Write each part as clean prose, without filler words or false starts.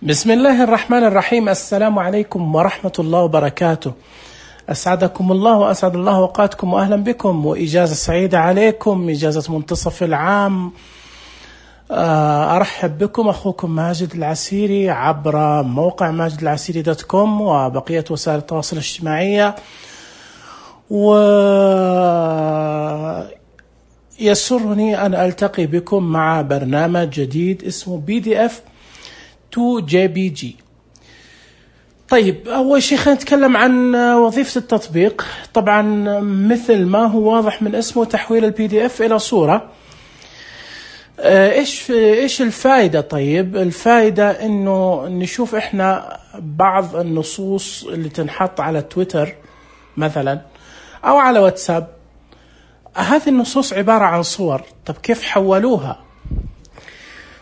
بسم الله الرحمن الرحيم. السلام عليكم ورحمة الله وبركاته. أسعدكم الله وأسعد الله أوقاتكم وأهلا بكم وإجازة سعيدة عليكم، إجازة منتصف العام. أرحب بكم أخوكم ماجد العسيري عبر موقع ماجدالعسيري.com وبقية وسائل التواصل الاجتماعية. ويسرني أن ألتقي بكم مع برنامج جديد اسمه PDF to JPG. طيب، أول شيء خلينا نتكلم عن وظيفة التطبيق. طبعا مثل ما هو واضح من اسمه، تحويل الPDF إلى صورة. إيش الفائدة؟ طيب، الفائدة إنه نشوف إحنا بعض النصوص اللي تنحط على تويتر مثلا أو على واتساب. هذه النصوص عبارة عن صور. طب كيف حولوها؟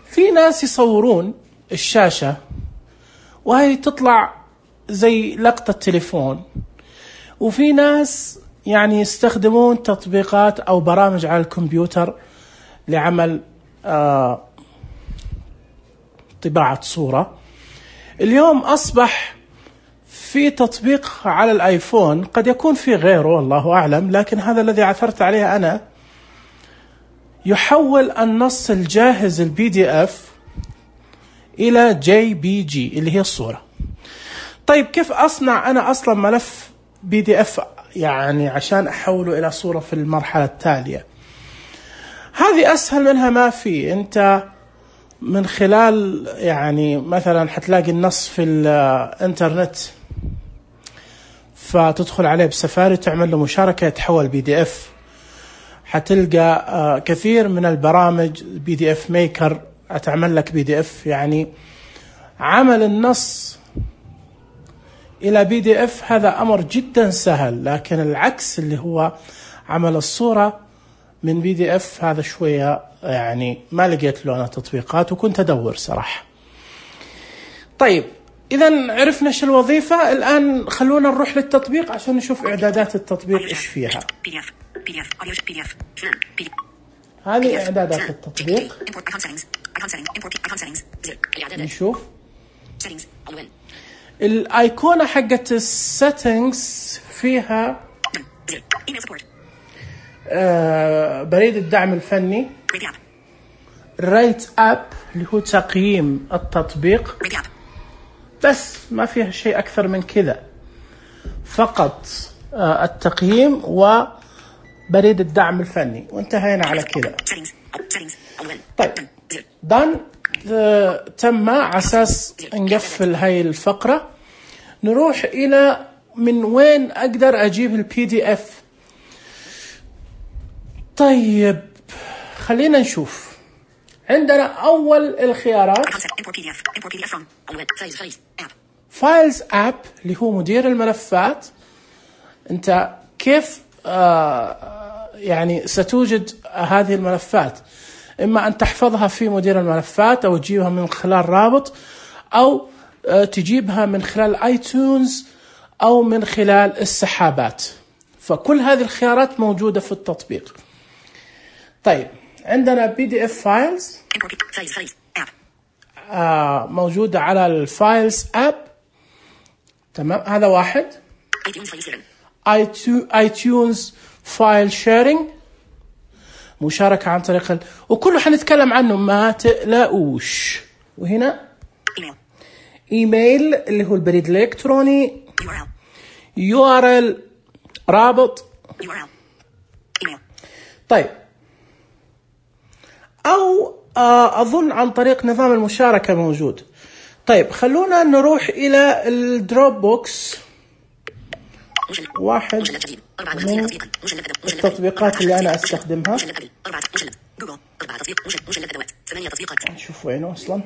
في ناس يصورون الشاشة وهي تطلع زي لقطة تليفون، وفي ناس يعني يستخدمون تطبيقات أو برامج على الكمبيوتر لعمل طباعة صورة. اليوم أصبح في تطبيق على الآيفون، قد يكون في غيره والله أعلم، لكن هذا الذي عثرت عليه أنا، يحول النص الجاهز الPDF إلى JPG اللي هي الصورة. طيب كيف أصنع أنا أصلا ملف PDF يعني عشان أحوله إلى صورة في المرحلة التالية؟ هذه أسهل منها ما في. أنت من خلال يعني مثلا حتلاقي النص في الإنترنت، فتدخل عليه بسفاري تعمل له مشاركة يتحول PDF. حتلقى كثير من البرامج PDF ميكر أتعمل لك PDF. يعني عمل النص إلى PDF هذا أمر جدا سهل، لكن العكس اللي هو عمل الصورة من PDF هذا شوية يعني ما لقيت له أنا تطبيقات، وكنت أدور صراحة. طيب، إذا عرفنا إيش الوظيفة. الآن خلونا نروح للتطبيق عشان نشوف إعدادات التطبيق إيش فيها. هذه إعدادات التطبيق. نشوف الأيقونة حقت السيتنجز فيها بريد الدعم الفني، ريت أب اللي هو تقييم التطبيق، بس ما فيها شيء أكثر من كذا، فقط التقييم وبريد الدعم الفني، وانتهينا على كذا. طيب دان تم. على أساس نقفل هاي الفقرة، نروح إلى من وين أقدر أجيب الPDF. طيب خلينا نشوف. عندنا أول الخيارات Files App اللي هو مدير الملفات. أنت كيف يعني ستوجد هذه الملفات؟ إما أن تحفظها في مدير الملفات، أو تجيبها من خلال رابط، أو تجيبها من خلال iTunes، أو من خلال السحابات. فكل هذه الخيارات موجودة في التطبيق. طيب عندنا PDF Files موجودة على الفايلز أب. تمام، هذا واحد. iTunes File Sharing، مشاركة عن طريق وكله حنتكلم عنه، ما تقلقوش. وهنا إيميل اللي هو البريد الإلكتروني، URL رابط. طيب، أو أظن عن طريق نظام المشاركة موجود. طيب خلونا نروح إلى الدروب بوكس، واحد من التطبيقات اللي أنا أستخدمها. نشوف وينه أصلا.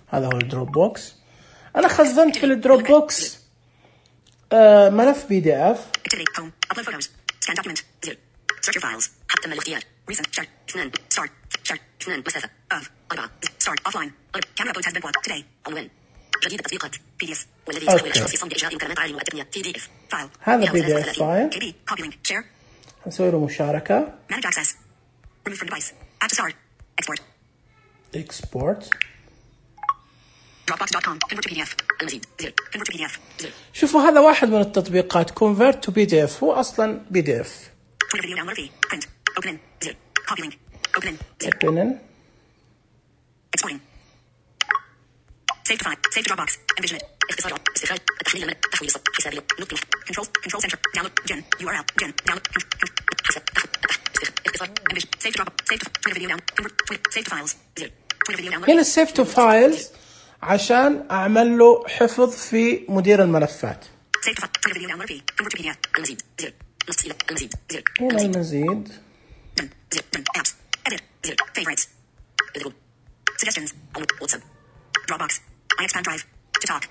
هذا هو الدروب بوكس. أنا خزنت في الدروب بوكس ملف PDF. Search your files. حتى الاختيار. Recent. Chart. 2. Start. Chart. 2. مسافة. Of. 4. Start. Offline. Camera upload has been blocked. Today. Alwyn. جديد التطبيقات. PDF. والذي يستحوذ على الشخص يصمم بإجراء مكالمات عالية والتقنية. PDF. File. هذا PDF file. KB. Copy link. Share. نسوي له مشاركة. Manage access. Remove from device. Add to start. Export. export. Dropbox.com convert to PDF المزيد زر convert to PDF زر. شوفوا هذا واحد من التطبيقات convert to PDF، هو أصلا PDF. Twitter video download fee print open in زر copy link open in زر open in exporting save to file save to Dropbox envision it اختصار استخراج التحميل الملف تحويل حسابية نقطة control center download gen URL gen download حساب اختصار envision save to Dropbox save to Twitter video down convert save to files زر Twitter video download هنا save to files عشان أعمل له حفظ في مدير الملفات. save to Twitter video download fee convert to PDF المزيد زر نص إلى المزيد زر هنا المزيد done زر done apps edit زر favorites editable suggestions WhatsApp Dropbox iExpand Drive to talk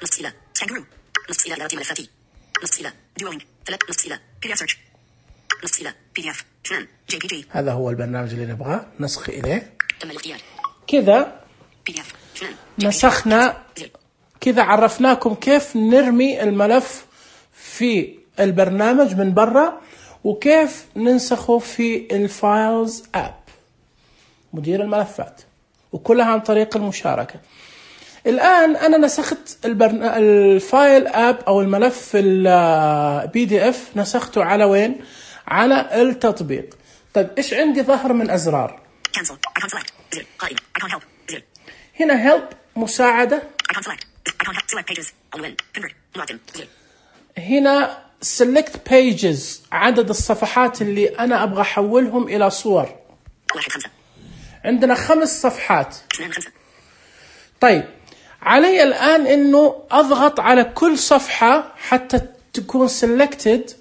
نص إلى Kangaroo نص إلى إدارة ملفاتي نص إلى Duoling نص إلى PDF search نص إلى PDF شنان JPG. هذا هو البرنامج اللي نبغاه نسخ إليه. تم الاختيار كذا PDF شنان نسخنا، كذا عرفناكم كيف نرمي الملف في البرنامج من برا وكيف ننسخه في الفايلز اب مدير الملفات، وكلها عن طريق المشاركة. الآن أنا نسخت الفايل اب أو الملف البي دي اف، نسخته على وين؟ على التطبيق. طيب إيش عندي ظهر من أزرار؟ cancel icon select زر قائمة icon help زر هنا help مساعدة، icon help select pages عنوان convert لوجن زر هنا select pages عدد الصفحات اللي أنا أبغى أحولهم إلى صور. 1 5 عندنا 5 صفحات. 2 5 طيب علي الآن إنه أضغط على كل صفحة حتى تكون selected،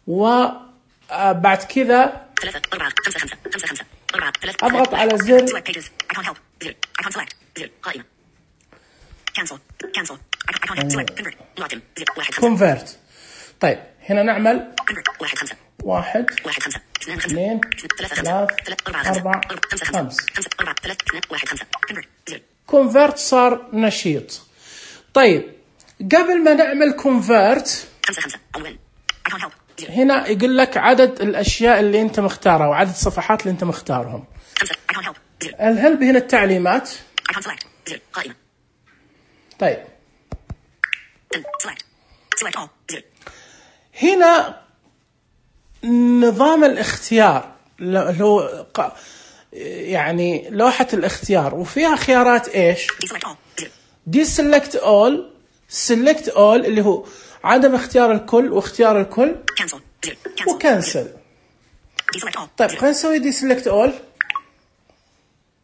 وبعد كذا 3 4 5 5 5 5 4 3 أضغط على زر select pages icon help زر icon select زر قائمة cancel icon help select convert لوجن زر 1 5 convert. طيب هنا نعمل convert 1 5 1 1 5 2 5 2 3 3 4 4 5 5 5 4 3 2 1 5 convert زر convert صار نشيط. طيب قبل ما نعمل convert 5 5 عنوان icon help زر هنا يقول لك عدد الأشياء اللي أنت مختارها وعدد الصفحات اللي أنت مختارهم. 5 icon help زر الهلب هنا التعليمات. icon select زر قائمة طيب select all زر هنا نظام الاختيار اللي هو يعني لوحة الاختيار، وفيها خيارات إيش؟ deselect all زر deselect all، select all اللي هو عدم اختيار الكل واختيار الكل، cancel زر وكنسل. deselect all طيب خلينا نسوي deselect all.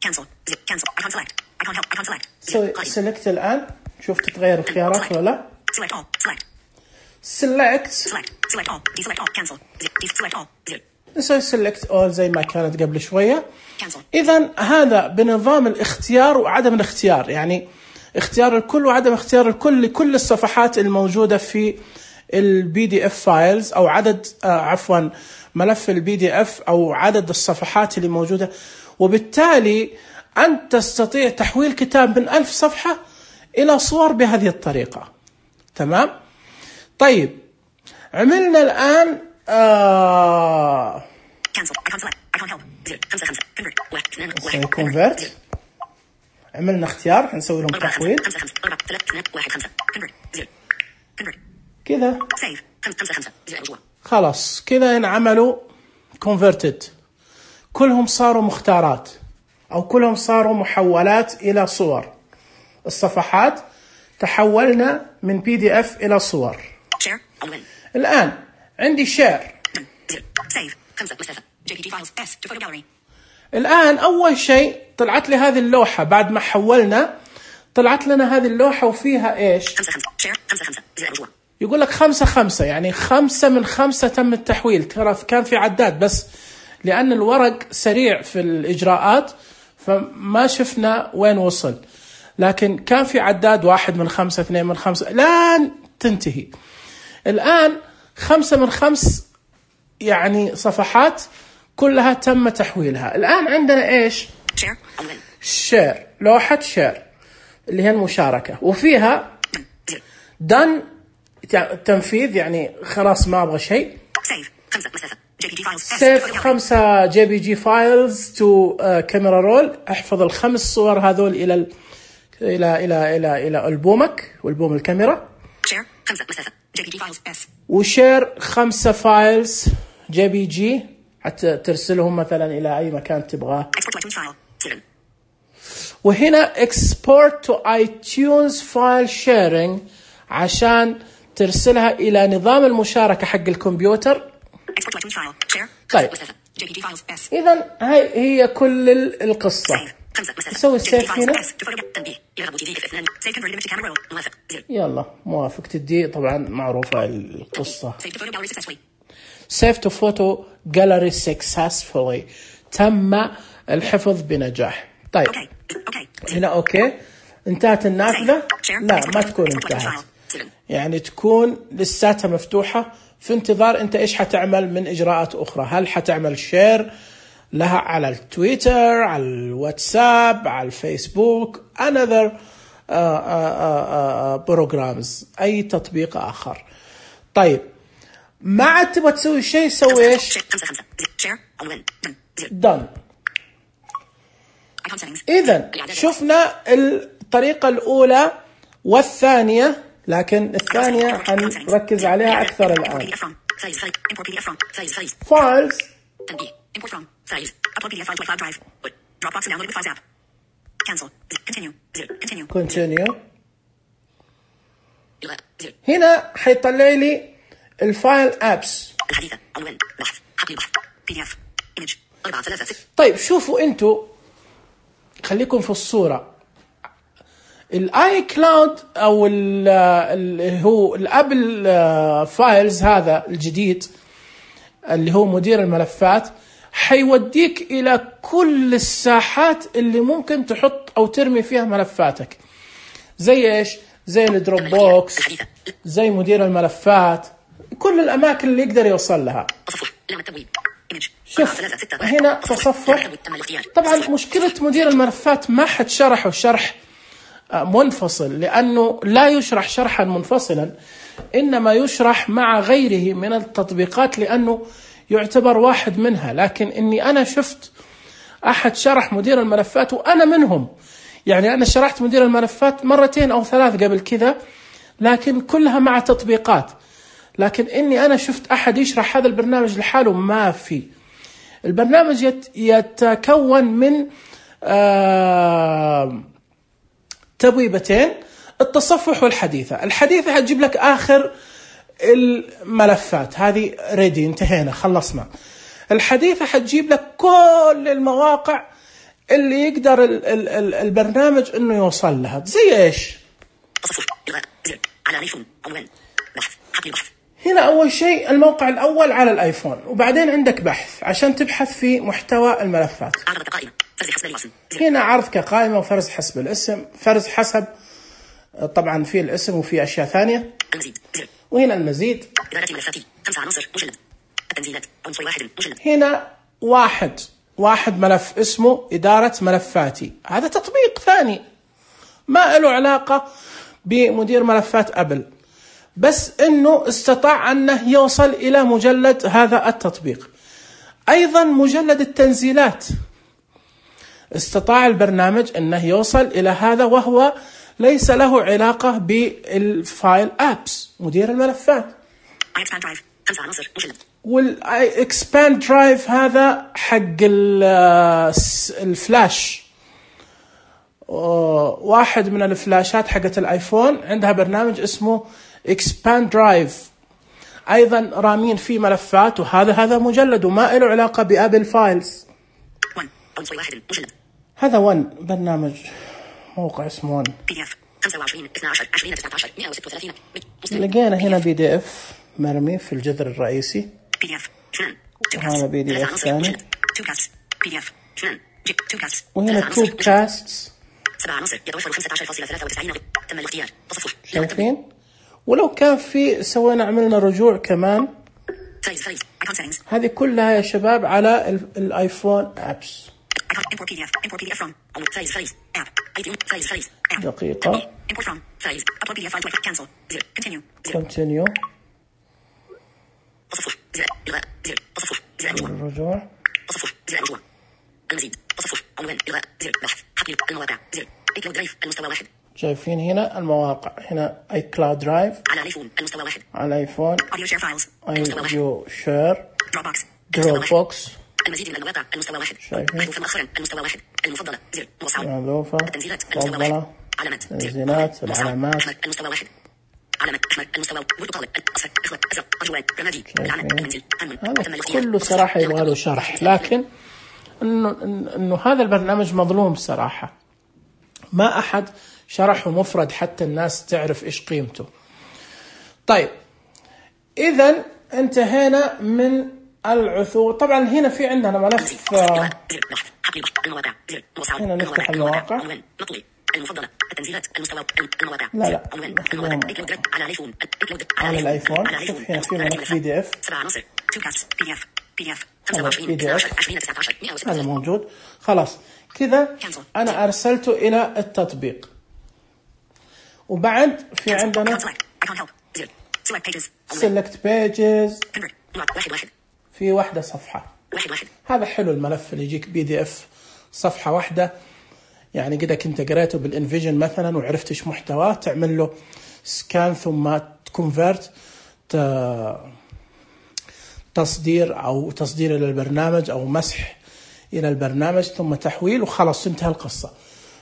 cancel زر cancel icon select icon help icon select سوي select الآن، شوف تتغير الخيارات ولا لا. select all select select all deselect all cancel زر deselect all زر نسوي select all زي ما كانت قبل شوية. cancel إذن هذا بنظام الاختيار وعدم الاختيار، يعني اختيار الكل وعدم اختيار الكل لكل الصفحات الموجودة في البي دي اف فايلز، أو عدد عفوا ملف البي دي اف أو عدد الصفحات اللي موجودة. وبالتالي أنت تستطيع تحويل كتاب من 1000 صفحة إلى صور بهذه الطريقة. تمام؟ طيب عملنا الآن cancel icon select icon help زر 5 5 convert 1 2 نسوي 1 convert. عملنا اختيار، هنسوي لهم 4 تحويل 5 5 4 3 2 1 5 convert زر convert كذا. save 5 5 زر رجوع خلاص كذا انعملوا converted، كلهم صاروا مختارات أو كلهم صاروا محولات إلى صور. الصفحات تحولنا من PDF إلى صور. share عنوان الآن عندي share. زر save 5 مسافة JPG files S to photo gallery الآن أول شيء طلعت لي هذه اللوحة بعد ما حولنا، طلعت لنا هذه اللوحة وفيها إيش؟ 5 5 share 5 5 زر رجوع يقول لك 5 5، يعني 5 من 5 تم التحويل. ترى كان في عداد بس لأن الورق سريع في الإجراءات فما شفنا وين وصل، لكن كان في عداد 1 من 5 2 من 5 لن تنتهي. الآن 5 من 5 يعني صفحات كلها تم تحويلها. الآن عندنا إيش؟ share عنوان share، لوحة share اللي هي المشاركة، وفيها done تنفيذ، يعني خلاص ما أبغى شيء. save 5 مسافة JPG files. سيف 5 JPG files to camera roll. احفظ ال5 صور هذول إلى ألبومك وألبوم الكاميرا. Share 5 مسافة JPG files S. وشير 5 فايلز JPG حتى ترسلهم مثلا إلى أي مكان تبغاه. Export to iTunes file 7. وهنا export to iTunes file sharing عشان ترسلها إلى نظام المشاركة حق الكمبيوتر. Export to iTunes file. Share. طيب. مسافة JPG files S. إذن هي كل القصة. نسوي السيف هنا. يلا موافق تدي طبعا معروفة القصة. Save to photo gallery successfully. تم الحفظ بنجاح. طيب هنا أوكي انتهت النافذة. لا ما تكون انتهت، يعني تكون لساتها مفتوحة في انتظار انت ايش حتعمل من اجراءات اخرى. هل حتعمل شير لها على التويتر، على الواتساب، على الفيسبوك، another programs، اي تطبيق اخر. طيب ما عاد تبغى تسوي شيء، سوي ايش؟ done. اذا شفنا الطريقة الاولى والثانية، لكن الثانية حنركز عليها أكثر الآن. Files. Import from. Size. Upload PDF file to cloud drive. Dropbox and download with files app. Cancel. Continue. Continue. Continue. هنا حيطلع لي الفايل apps. الحديثة. عنوان. بحث. حقل بحث. PDF. Image. 4-3. طيب شوفوا انتوا، خليكم في الصورة. الاي كلاود او هو الابل فايلز هذا الجديد اللي هو مدير الملفات، حيوديك الى كل الساحات اللي ممكن تحط او ترمي فيها ملفاتك. زي ايش؟ زي الدروب بوكس، زي مدير الملفات، كل الاماكن اللي يقدر يوصل لها. شوف هنا تصفح. طبعا مشكلة مدير الملفات ما حد شرحه شرح منفصل، لأنه لا يشرح شرحا منفصلا، إنما يشرح مع غيره من التطبيقات لأنه يعتبر واحد منها. لكن إني أنا شفت أحد شرح مدير الملفات وأنا منهم، يعني أنا شرحت مدير الملفات 2 أو 3 قبل كذا، لكن كلها مع تطبيقات. لكن إني أنا شفت أحد يشرح هذا البرنامج لحاله ما في. البرنامج يتكون من تبويبتين، التصفح والحديثة. الحديثة هتجيب لك آخر الملفات، هذه ريدي، انتهينا خلصنا. الحديثة هتجيب لك كل المواقع اللي يقدر البرنامج انه يوصل لها. زي ايش؟ تصفح على الايفون، عنوان بحث، حقل بحث. هنا اول شيء الموقع الاول على الايفون، وبعدين عندك بحث عشان تبحث في محتوى الملفات. عرض كقائمة، فرز حسب الاسم. هنا عرض كقائمة وفرز حسب الاسم. فرز حسب طبعا في الاسم وفي اشياء ثانية. المزيد. وهنا المزيد. إدارة ملفاتي 5 عناصر مجلد. التنزيلات عنصر 1 مجلد. هنا واحد ملف اسمه إدارة ملفاتي، هذا تطبيق ثاني ما له علاقة بمدير ملفات أبل، بس إنه استطاع أنه يوصل إلى مجلد هذا التطبيق. أيضا مجلد التنزيلات استطاع البرنامج أنه يوصل إلى هذا، وهو ليس له علاقة بالفايل أبس مدير الملفات. والإكسباند درايف هذا حق الفلاش، واحد من الفلاشات حقت الآيفون عندها برنامج اسمه إكسباند درايف، أيضا رامين فيه ملفات، وهذا مجلد وما له علاقة بأبل فايلز. هذا برنامج موقع اسمه ون. لقينا هنا PDF مرمي في الجذر الرئيسي، وهذا PDF ثاني، وهنا توب كاستس. شايفين؟ ولو كان في سوينا عملنا رجوع كمان. هذه كلها يا شباب على الآيفون أبس. دقيقة. Continue. الرجوع. تصفح زر الرجوع. المزيد تصفح عنوان إلغاء زر بحث حقل المواقع زر iCloud درايف المستوى 1. شايفين هنا المواقع هنا iCloud درايف على الايفون المستوى 1. على الايفون Audio share files Audio share Dropbox المزيد من المواقع المستوى 1. شايفين محذوفة مؤخرا المستوى 1. المفضلة زر موسع. محذوفة التنزيلات المستوى 1. علامات تنزيلات العلامات المستوى 1. علامات أحمر المستوى برتقالي أصفر أخضر أزرق أرجوان رمادي العلم المنزل هذا كله صراحة يبغى له شرح، لكن إنه هذا البرنامج مظلوم صراحة، ما أحد شرحه مفرد حتى الناس تعرف إيش قيمته. طيب إذا انتهينا من العثور. طبعا هنا في عندنا ملف هنا نفتح المواقع. المفضلة التنزيلات المستوى المواقع لا على الايفون على الايفون. شوف هنا في ملف PDF 7 عناصر 2 كاست PDF 25 19 هذا موجود. خلاص كذا انا ارسلته الى التطبيق. وبعد في عندنا select pages في واحدة صفحة. هذا حلو الملف اللي يجيك PDF صفحة واحدة، يعني كده كنت قريته بالانفيجن مثلا وعرفت ايش محتواه، تعمل له سكان ثم تكونفرت تصدير الى البرنامج او مسح الى البرنامج ثم تحويل وخلاص انتهى القصة.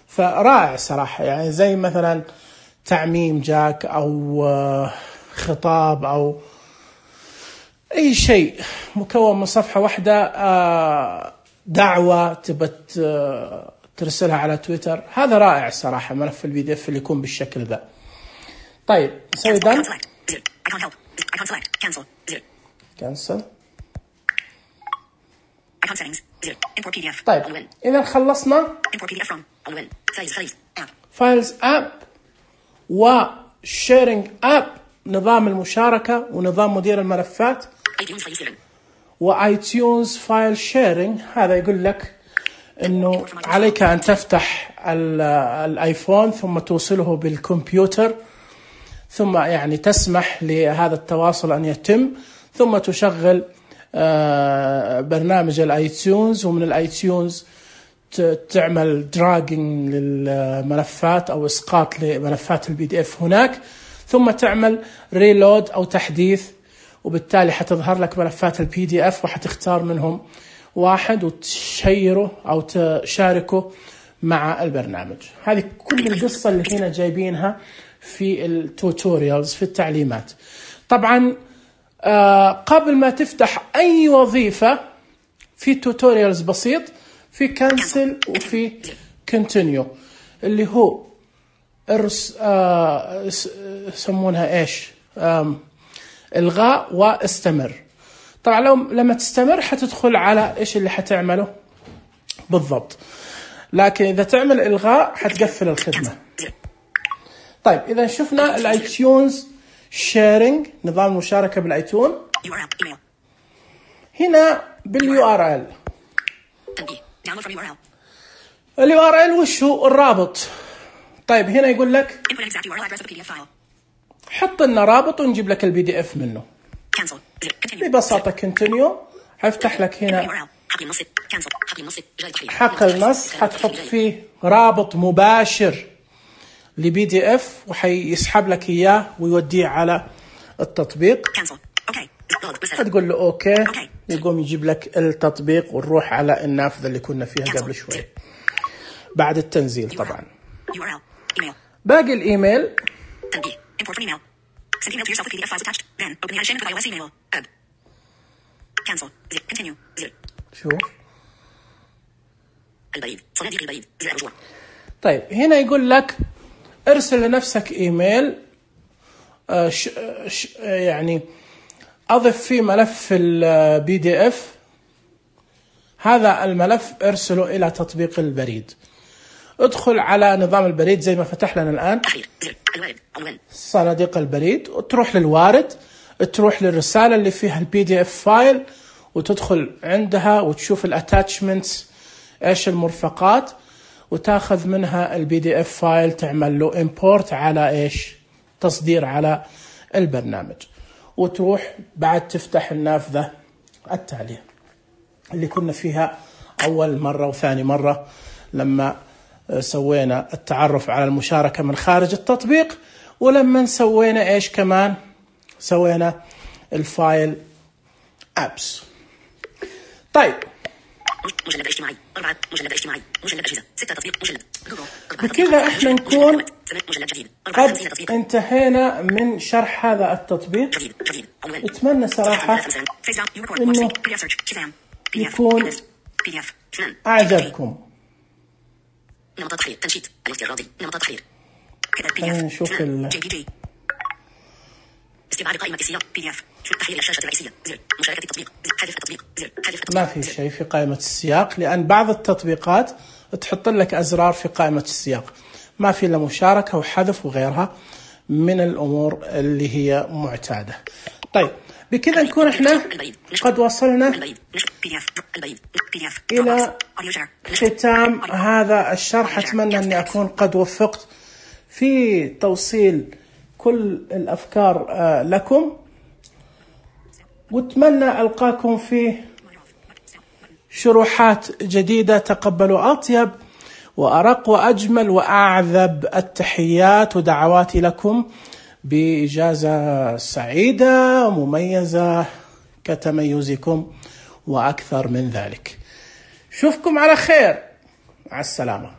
فرائع صراحة، يعني زي مثلا تعميم جاك او خطاب او اي شيء مكون من صفحة واحدة، دعوة تبت ترسلها على تويتر. هذا رائع صراحة ملف PDF اللي يكون بالشكل ذا. طيب نسوي done cancel. طيب إذا خلصنا files app وsharing app، نظام المشاركة ونظام مدير الملفات، وiTunes file sharing. هذا يقول لك انه عليك ان تفتح الايفون ثم توصله بالكمبيوتر، ثم يعني تسمح لهذا التواصل ان يتم، ثم تشغل برنامج الايتيونز، ومن الايتيونز تعمل دراجنج للملفات او اسقاط لملفات PDF هناك، ثم تعمل ريلود او تحديث، وبالتالي حتظهر لك ملفات PDF وحتختار منهم واحد وتشيره أو تشاركه مع البرنامج. هذه كل القصة اللي هنا جايبينها في التوتوريالز في التعليمات. طبعا قبل ما تفتح أي وظيفة في توتوريالز بسيط، في كانسل وفي كونتينيو، اللي هو يسمونها إيش، إلغاء واستمر. طبعا لما تستمر حتدخل على إيش اللي حتعمله بالضبط، لكن إذا تعمل إلغاء حتقفل الخدمة. طيب إذا شفنا الآيتيونز شيرينج، نظام المشاركة بالآيتون، هنا بالURL. الURL وش هو؟ الرابط. طيب هنا يقول لك حط لنا رابط ونجيب لك PDF منه. ببساطة continue. هيفتح لك هنا حقل نص، حتحط فيه رابط مباشر لPDF وحيسحب لك إياه ويوديه على التطبيق. هتقول له أوكي، يقوم يجيب لك التطبيق ونروح على النافذة اللي كنا فيها قبل شوي بعد التنزيل. طبعا باقي الإيميل Send email to yourself with PDF files attached. Then open the annotation with iOS email. Add. Cancel. Continue. شوف البريد، صناديق البريد، زر الرجوع. طيب هنا يقول لك ارسل لنفسك ايميل، يعني اضف فيه ملف PDF. هذا الملف ارسله الى تطبيق البريد. ادخل على نظام البريد زي ما فتح لنا الآن، صناديق البريد، وتروح للوارد، تروح للرسالة اللي فيها PDF فايل وتدخل عندها وتشوف الاتاتشمنتس ايش المرفقات، وتاخذ منها PDF فايل تعمل له import على ايش، تصدير على البرنامج، وتروح بعد تفتح النافذة التالية. اللي كنا فيها أول مرة وثاني مرة لما سوينا التعرف على المشاركة من خارج التطبيق، ولما سوينا إيش كمان، سوينا الفايل أبس. طيب مجلد اجتماعي 4 مجلد اجتماعي مجلد أجهزة 6 تطبيق مجلد جوجل. بكذا احنا نكون مجلد جديد قد انتهينا من شرح هذا التطبيق. اتمنى صراحة انه يكون اعجبكم. نمط تحرير تنشيط الافتراضي نمط تحرير. خلينا نشوف استبعاد قائمة السياق PDF. تحرير الشاشة الرئيسية زر مشاركة التطبيق حذف التطبيق زر حذف التطبيق. ما في شيء في قائمة السياق، لأن بعض التطبيقات تحط لك أزرار في قائمة السياق، ما في إلا مشاركة وحذف وغيرها من الأمور اللي هي معتادة. طيب بكذا نكون احنا قد وصلنا إلى ختام هذا الشرح. أتمنى أني أكون قد وفقت في توصيل كل الأفكار لكم، واتمنى ألقاكم في شروحات جديدة. تقبلوا أطيب وأرق وأجمل وأعذب التحيات ودعواتي لكم بإجازة سعيدة مميزة كتميزكم وأكثر من ذلك. شوفكم على خير، مع السلامة.